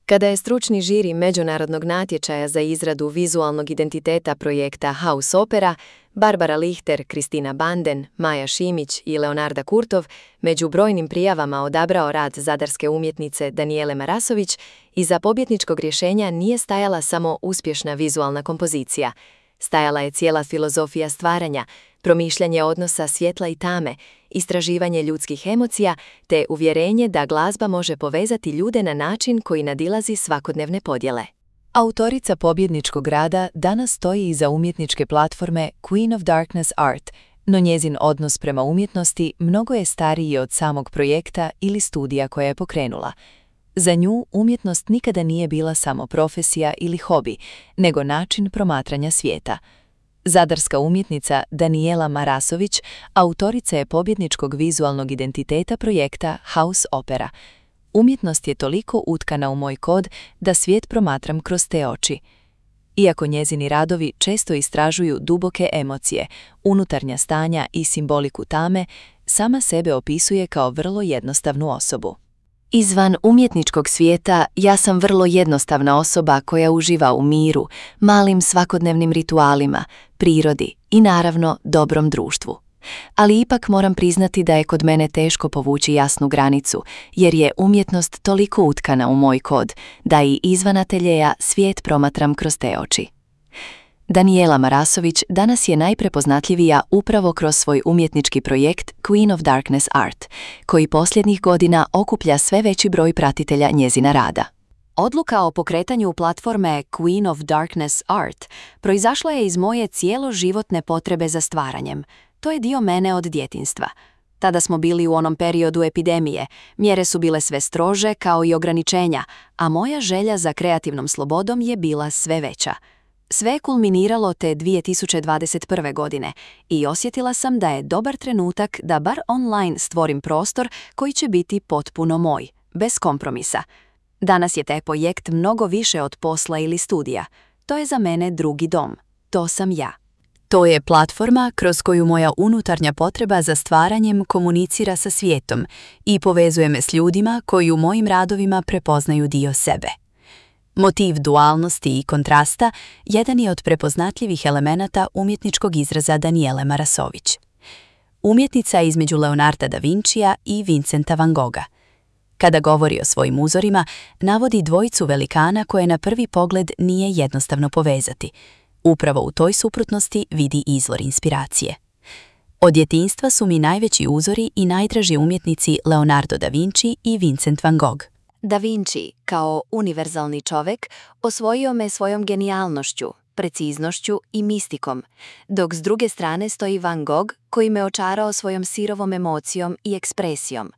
Kada je stručni žiri međunarodnog natječaja za izradu vizualnog identiteta projekta House Opera, Barbara Lichter, Kristina Banden, Maja Šimić i Leonarda Kurtov među brojnim prijavama odabrao rad zadarske umjetnice Danijele Marasović, iza pobjedničkog rješenja nije stajala samo uspješna vizualna kompozicija. Stajala je cijela filozofija stvaranja, promišljanje odnosa svjetla i tame, istraživanje ljudskih emocija te uvjerenje da glazba može povezati ljude na način koji nadilazi svakodnevne podjele. Autorica pobjedničkog rada danas stoji iza umjetničke platforme Queen of Darkness Art, no njezin odnos prema umjetnosti mnogo je stariji od samog projekta ili studija koja je pokrenula. Za nju umjetnost nikada nije bila samo profesija ili hobi, nego način promatranja svijeta. Zadarska umjetnica Danijela Marasović autorica je pobjedničkog vizualnog identiteta projekta House Opera. Umjetnost je toliko utkana u moj kod da svijet promatram kroz te oči. Iako njezini radovi često istražuju duboke emocije, unutarnja stanja i simboliku tame, sama sebe opisuje kao vrlo jednostavnu osobu. Izvan umjetničkog svijeta ja sam vrlo jednostavna osoba koja uživa u miru, malim svakodnevnim ritualima, prirodi i naravno dobrom društvu. Ali ipak moram priznati da je kod mene teško povući jasnu granicu, jer je umjetnost toliko utkana u moj kod da i izvan ateljeja svijet promatram kroz te oči. Danijela Marasović danas je najprepoznatljivija upravo kroz svoj umjetnički projekt Queen of Darkness Art, koji posljednjih godina okuplja sve veći broj pratitelja njezina rada. Odluka o pokretanju platforme Queen of Darkness Art proizašla je iz moje cijeloživotne potrebe za stvaranjem. To je dio mene od djetinjstva. Tada smo bili u onom periodu epidemije, mjere su bile sve strože kao i ograničenja, a moja želja za kreativnom slobodom je bila sve veća. Sve je kulminiralo te 2021. godine i osjetila sam da je dobar trenutak da bar online stvorim prostor koji će biti potpuno moj, bez kompromisa. Danas je taj projekt mnogo više od posla ili studija. To je za mene drugi dom. To sam ja. To je platforma kroz koju moja unutarnja potreba za stvaranjem komunicira sa svijetom i povezuje me s ljudima koji u mojim radovima prepoznaju dio sebe. Motiv dualnosti i kontrasta jedan je od prepoznatljivih elemenata umjetničkog izraza Danijele Marasović. Umjetnica je između Leonarda da Vincija i Vincenta van Gogha. Kada govori o svojim uzorima, navodi dvojicu velikana koje na prvi pogled nije jednostavno povezati. Upravo u toj suprotnosti vidi izvor inspiracije. Od djetinjstva su mi najveći uzori i najdraži umjetnici Leonardo da Vinci i Vincent van Gogh. Da Vinci, kao univerzalni čovjek, osvojio me svojom genijalnošću, preciznošću i mistikom, dok s druge strane stoji Van Gogh koji me očarao svojom sirovom emocijom i ekspresijom.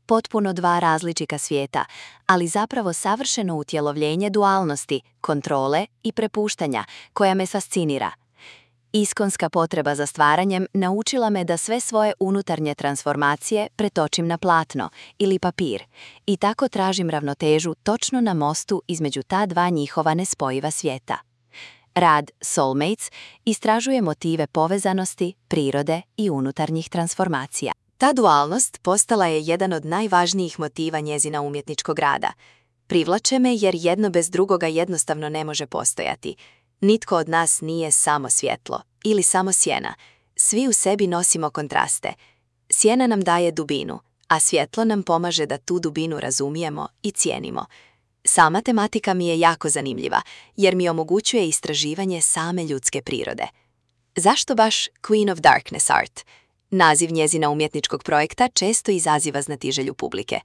Potpuno dva različita svijeta, ali zapravo savršeno utjelovljenje dualnosti, kontrole i prepuštanja koja me fascinira. Iskonska potreba za stvaranjem naučila me da sve svoje unutarnje transformacije pretočim na platno ili papir i tako tražim ravnotežu točno na mostu između ta dva njihova nespojiva svijeta. Rad Soulmates istražuje motive povezanosti, prirode i unutarnjih transformacija. Ta dualnost postala je jedan od najvažnijih motiva njezina umjetničkog rada. Privlače me jer jedno bez drugoga jednostavno ne može postojati. Nitko od nas nije samo svjetlo ili samo sjena. Svi u sebi nosimo kontraste. Sjena nam daje dubinu, a svjetlo nam pomaže da tu dubinu razumijemo i cijenimo. Sama tematika mi je jako zanimljiva, jer mi omogućuje istraživanje same ljudske prirode. Zašto baš Queen of Darkness Art? Naziv njezina umjetničkog projekta često izaziva znatiželju publike.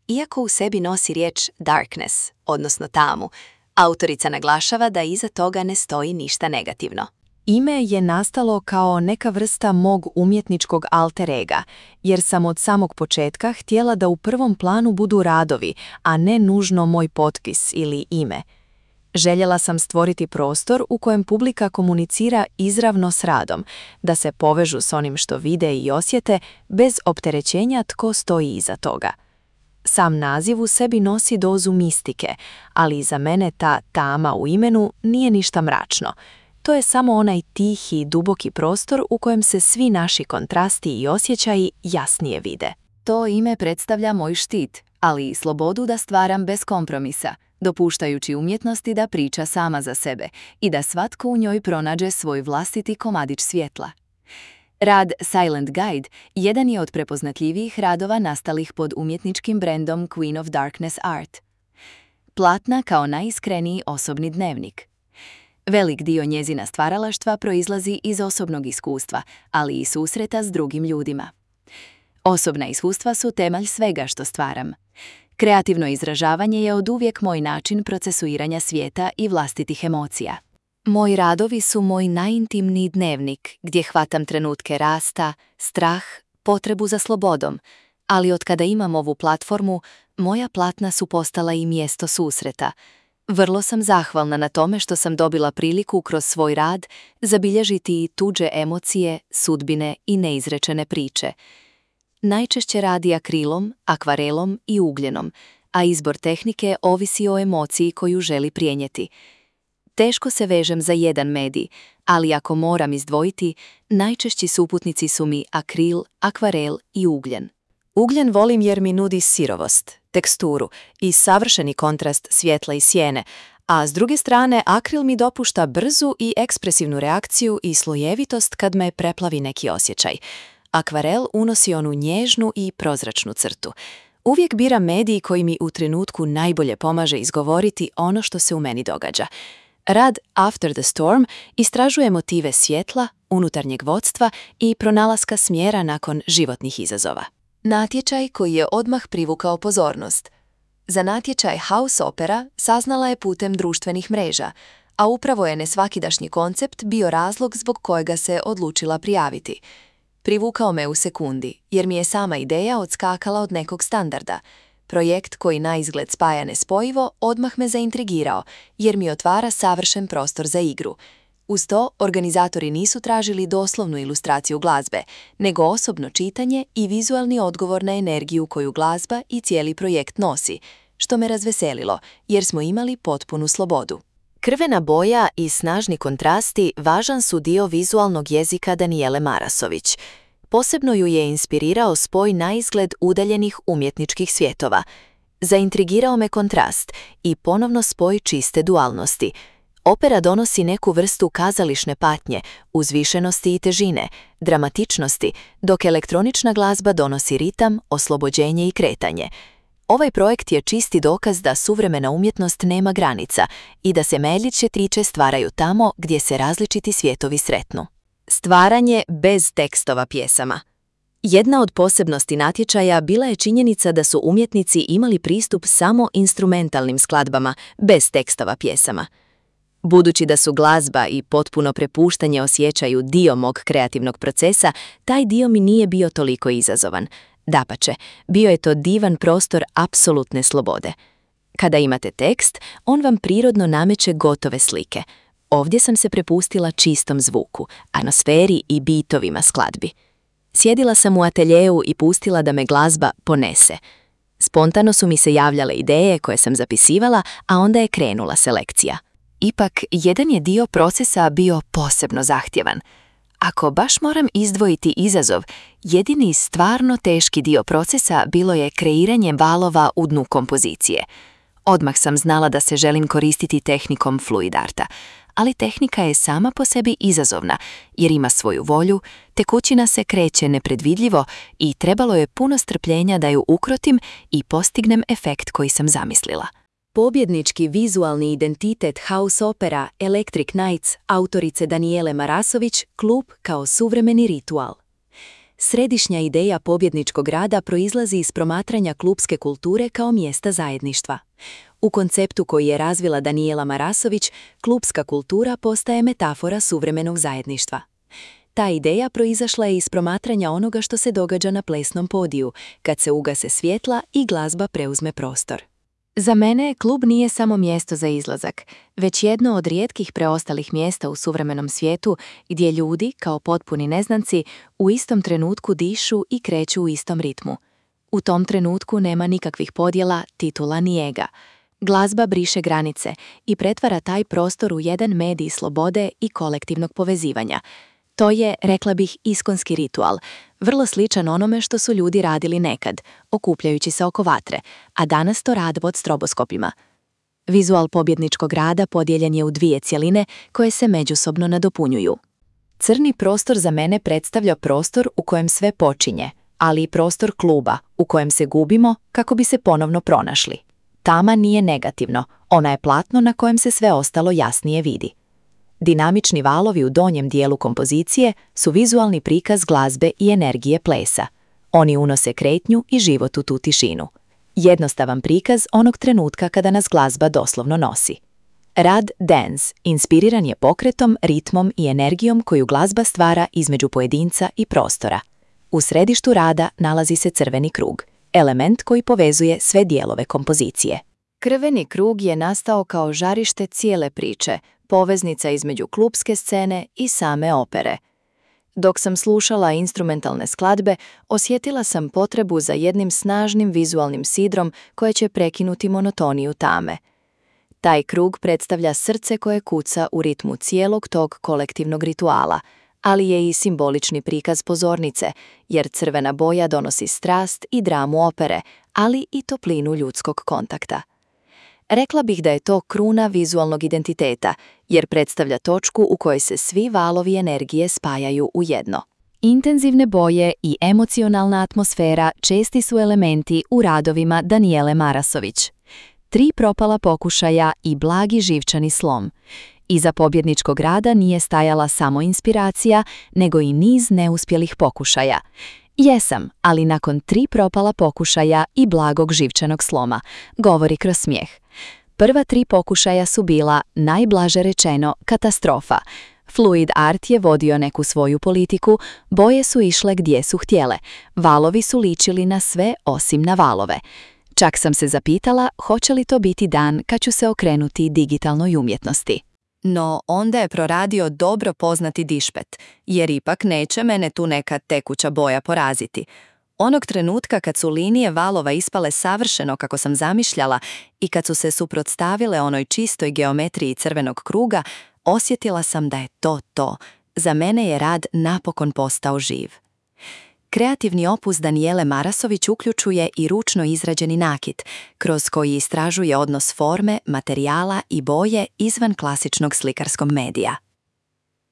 Iako u sebi nosi riječ darkness, odnosno tamu, autorica naglašava da iza toga ne stoji ništa negativno. Ime je nastalo kao neka vrsta mog umjetničkog alter ega, jer sam od samog početka htjela da u prvom planu budu radovi, a ne nužno moj potpis ili ime. Željela sam stvoriti prostor u kojem publika komunicira izravno s radom, da se povežu s onim što vide i osjete, bez opterećenja tko stoji iza toga. Sam naziv u sebi nosi dozu mistike, ali za mene ta tama u imenu nije ništa mračno. To je samo onaj tihi, duboki prostor u kojem se svi naši kontrasti i osjećaji jasnije vide. To ime predstavlja moj štit, ali i slobodu da stvaram bez kompromisa. dopuštajući umjetnosti da priča sama za sebe i da svatko u njoj pronađe svoj vlastiti komadić svjetla. Rad Silent Guide jedan je od prepoznatljivijih radova nastalih pod umjetničkim brendom Queen of Darkness Art. Platna kao najiskreniji osobni dnevnik. Velik dio njezina stvaralaštva proizlazi iz osobnog iskustva, ali i susreta s drugim ljudima. Osobna iskustva su temelj svega što stvaram. Kreativno izražavanje je oduvijek moj način procesuiranja svijeta i vlastitih emocija. Moji radovi su moj najintimniji dnevnik gdje hvatam trenutke rasta, strah, potrebu za slobodom, ali od kada imam ovu platformu, moja platna su postala i mjesto susreta. Vrlo sam zahvalna na tome što sam dobila priliku kroz svoj rad zabilježiti i tuđe emocije, sudbine i neizrečene priče. Najčešće radi akrilom, akvarelom i ugljenom, a izbor tehnike ovisi o emociji koju želi prenijeti. Teško se vežem za jedan medij, ali ako moram izdvojiti, najčešći suputnici su mi akril, akvarel i ugljen. Ugljen volim jer mi nudi sirovost, teksturu i savršeni kontrast svjetla i sjene, a s druge strane akril mi dopušta brzu i ekspresivnu reakciju i slojevitost kad me preplavi neki osjećaj. Akvarel unosi onu nježnu i prozračnu crtu. Uvijek biram medij koji mi u trenutku najbolje pomaže izgovoriti ono što se u meni događa. Rad After the Storm istražuje motive svjetla, unutarnjeg vodstva i pronalaska smjera nakon životnih izazova. Natječaj koji je odmah privukao pozornost. Za natječaj House Opera saznala je putem društvenih mreža, a upravo je nesvakidašnji koncept bio razlog zbog kojega se odlučila prijaviti. Privukao me u sekundi, jer mi je sama ideja odskakala od nekog standarda. Projekt koji na izgled spaja nespojivo odmah me zaintrigirao, jer mi otvara savršen prostor za igru. Uz to, organizatori nisu tražili doslovnu ilustraciju glazbe, nego osobno čitanje i vizualni odgovor na energiju koju glazba i cijeli projekt nosi, što me razveselilo, jer smo imali potpunu slobodu. Krvena boja i snažni kontrasti važan su dio vizualnog jezika Danijele Marasović. Posebno ju je inspirirao spoj naizgled udaljenih umjetničkih svjetova. Zaintrigirao me kontrast i ponovno spoj čiste dualnosti. Opera donosi neku vrstu kazališne patnje, uzvišenosti i težine, dramatičnosti, dok elektronična glazba donosi ritam, oslobođenje i kretanje. Ovaj projekt je čisti dokaz da suvremena umjetnost nema granica i da se meljiće triče stvaraju tamo gdje se različiti svjetovi sretnu. Stvaranje bez tekstova pjesama. Jedna od posebnosti natječaja bila je činjenica da su umjetnici imali pristup samo instrumentalnim skladbama, bez tekstova pjesama. Budući da su glazba i potpuno prepuštanje osjećaju dio mog kreativnog procesa, taj dio mi nije bio toliko izazovan. Dapače, bio je to divan prostor apsolutne slobode. Kada imate tekst, on vam prirodno nameće gotove slike. Ovdje sam se prepustila čistom zvuku, atmosferi i bitovima skladbi. Sjedila sam u ateljeu i pustila da me glazba ponese. Spontano su mi se javljale ideje koje sam zapisivala, a onda je krenula selekcija. Ipak, jedan je dio procesa bio posebno zahtjevan. Ako baš moram izdvojiti izazov, jedini stvarno teški dio procesa bilo je kreiranje valova u dnu kompozicije. Odmah sam znala da se želim koristiti tehnikom fluid arta, ali tehnika je sama po sebi izazovna, jer ima svoju volju, tekućina se kreće nepredvidljivo i trebalo je puno strpljenja da ju ukrotim i postignem efekt koji sam zamislila. Pobjednički vizualni identitet House Opera Electric Nights autorice Danijele Marasović, klub kao suvremeni ritual. Središnja ideja pobjedničkog rada proizlazi iz promatranja klubske kulture kao mjesta zajedništva. U konceptu koji je razvila Danijela Marasović, klubska kultura postaje metafora suvremenog zajedništva. Ta ideja proizašla je iz promatranja onoga što se događa na plesnom podiju, kad se ugase svjetla i glazba preuzme prostor. Za mene klub nije samo mjesto za izlazak, već jedno od rijetkih preostalih mjesta u suvremenom svijetu gdje ljudi, kao potpuni neznanci, u istom trenutku dišu i kreću u istom ritmu. U tom trenutku nema nikakvih podjela, titula ni ega. Glazba briše granice i pretvara taj prostor u jedan medij slobode i kolektivnog povezivanja. To je, rekla bih, iskonski ritual, vrlo sličan onome što su ljudi radili nekad, okupljajući se oko vatre, a danas to rade pod stroboskopima. Vizual pobjedničkog rada podijeljen je u dvije cjeline koje se međusobno nadopunjuju. Crni prostor za mene predstavlja prostor u kojem sve počinje, ali i prostor kluba u kojem se gubimo kako bi se ponovno pronašli. Tama nije negativno, ona je platno na kojem se sve ostalo jasnije vidi. Dinamični valovi u donjem dijelu kompozicije su vizualni prikaz glazbe i energije plesa. Oni unose kretnju i život u tu tišinu. Jednostavan prikaz onog trenutka kada nas glazba doslovno nosi. Rad dance inspiriran je pokretom, ritmom i energijom koju glazba stvara između pojedinca i prostora. U središtu rada nalazi se crveni krug, element koji povezuje sve dijelove kompozicije. Crveni krug je nastao kao žarište cijele priče, poveznica između klupske scene i same opere. Dok sam slušala instrumentalne skladbe, osjetila sam potrebu za jednim snažnim vizualnim sidrom koje će prekinuti monotoniju tame. Taj krug predstavlja srce koje kuca u ritmu cijelog tog kolektivnog rituala, ali je i simbolični prikaz pozornice, jer crvena boja donosi strast i dramu opere, ali i toplinu ljudskog kontakta. Rekla bih da je to kruna vizualnog identiteta, jer predstavlja točku u kojoj se svi valovi energije spajaju u jedno. Intenzivne boje i emocionalna atmosfera česti su elementi u radovima Danijele Marasović. 3 propala pokušaja i blagi živčani slom. Iza pobjedničkog rada nije stajala samo inspiracija, nego i niz neuspjelih pokušaja. Jesam, ali nakon 3 propala pokušaja i blagog živčanog sloma, govori kroz smijeh. Prva 3 pokušaja su bila, najblaže rečeno, katastrofa. Fluid art je vodio neku svoju politiku, boje su išle gdje su htjele, valovi su ličili na sve osim na valove. Čak sam se zapitala hoće li to biti dan kad ću se okrenuti digitalnoj umjetnosti. No, onda je proradio dobro poznati dišpet, jer ipak neće mene tu neka tekuća boja poraziti. Onog trenutka kad su linije valova ispale savršeno kako sam zamišljala i kad su se suprotstavile onoj čistoj geometriji crvenog kruga, osjetila sam da je to to. Za mene je rad napokon postao živ. Kreativni opus Danijele Marasović uključuje i ručno izrađeni nakit, kroz koji istražuje odnos forme, materijala i boje izvan klasičnog slikarskog medija.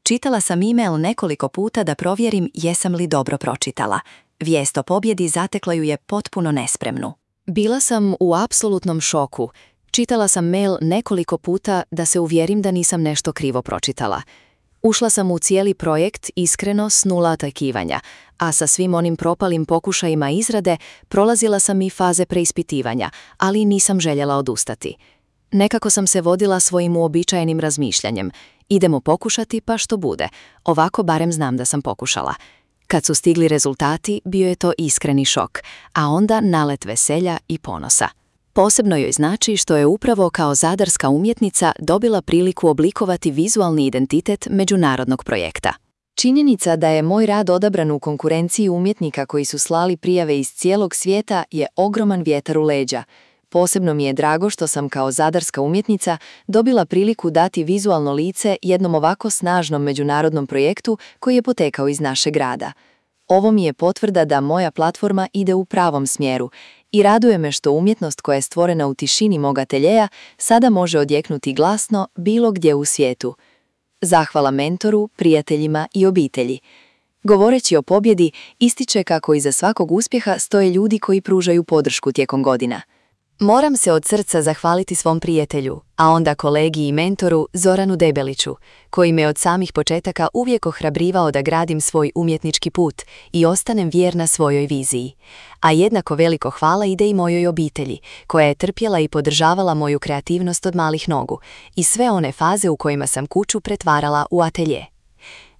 Čitala sam e-mail nekoliko puta da provjerim jesam li dobro pročitala. Vijest o pobjedi zatekla ju je potpuno nespremnu. Bila sam u apsolutnom šoku. Čitala sam mail nekoliko puta da se uvjerim da nisam nešto krivo pročitala. Ušla sam u cijeli projekt iskreno s 0 očekivanja, a sa svim onim propalim pokušajima izrade prolazila sam i faze preispitivanja, ali nisam željela odustati. Nekako sam se vodila svojim uobičajenim razmišljanjem. Idemo pokušati pa što bude, ovako barem znam da sam pokušala. Kad su stigli rezultati, bio je to iskreni šok, a onda nalet veselja i ponosa. Posebno joj znači što je upravo kao zadarska umjetnica dobila priliku oblikovati vizualni identitet međunarodnog projekta. Činjenica da je moj rad odabran u konkurenciji umjetnika koji su slali prijave iz cijelog svijeta je ogroman vjetar u leđa. Posebno mi je drago što sam kao zadarska umjetnica dobila priliku dati vizualno lice jednom ovako snažnom međunarodnom projektu koji je potekao iz našeg grada. Ovo mi je potvrda da moja platforma ide u pravom smjeru i raduje me što umjetnost koja je stvorena u tišini mog ateljeja sada može odjeknuti glasno bilo gdje u svijetu. Zahvala mentoru, prijateljima i obitelji. Govoreći o pobjedi, ističe kako iza svakog uspjeha stoje ljudi koji pružaju podršku tijekom godina. Moram se od srca zahvaliti svom prijatelju, a onda kolegi i mentoru Zoranu Debeliću, koji me od samih početaka uvijek ohrabrivao da gradim svoj umjetnički put i ostanem vjerna svojoj viziji. A jednako veliko hvala ide i mojoj obitelji, koja je trpjela i podržavala moju kreativnost od malih nogu i sve one faze u kojima sam kuću pretvarala u atelje.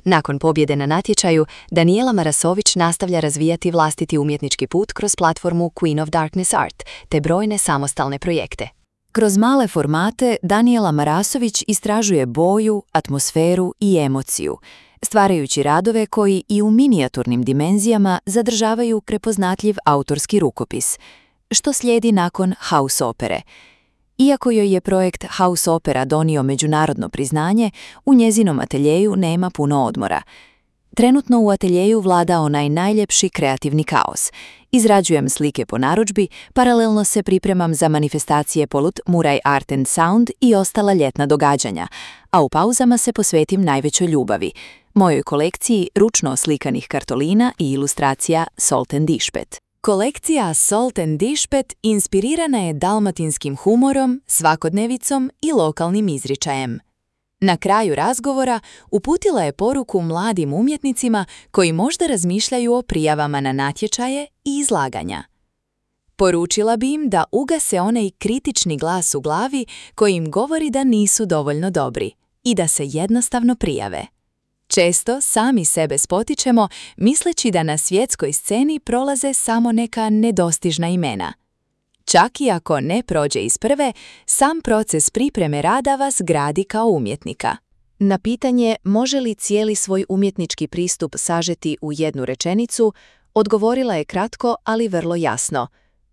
Nakon pobjede na natječaju, Danijela Marasović nastavlja razvijati vlastiti umjetnički put kroz platformu Queen of Darkness Art te brojne samostalne projekte. Kroz male formate Danijela Marasović istražuje boju, atmosferu i emociju, stvarajući radove koji i u minijaturnim dimenzijama zadržavaju prepoznatljiv autorski rukopis, što slijedi nakon house opere. Iako joj je projekt House Opera donio međunarodno priznanje, u njezinom ateljeju nema puno odmora. Trenutno u ateljeju vlada onaj najljepši kreativni kaos. Izrađujem slike po narudžbi, paralelno se pripremam za manifestacije polut Muraj Art and Sound i ostala ljetna događanja, a u pauzama se posvetim najvećoj ljubavi, mojoj kolekciji ručno oslikanih kartolina i ilustracija Salt and Dišpet. Kolekcija Salt and Dišpet inspirirana je dalmatinskim humorom, svakodnevicom i lokalnim izričajem. Na kraju razgovora uputila je poruku mladim umjetnicima koji možda razmišljaju o prijavama na natječaje i izlaganja. Poručila bi im da ugase onaj kritični glas u glavi koji im govori da nisu dovoljno dobri i da se jednostavno prijave. Često sami sebe spotičemo misleći da na svjetskoj sceni prolaze samo neka nedostižna imena. Čak i ako ne prođe iz prve, sam proces pripreme rada vas gradi kao umjetnika. Na pitanje može li cijeli svoj umjetnički pristup sažeti u jednu rečenicu, odgovorila je kratko, ali vrlo jasno.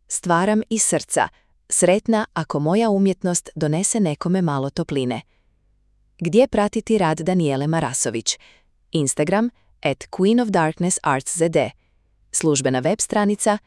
Stvaram iz srca, sretna ako moja umjetnost donese nekome malo topline. Gdje pratiti rad Danijele Marasović? Instagram @queenofdarknessartszd. Službena web stranica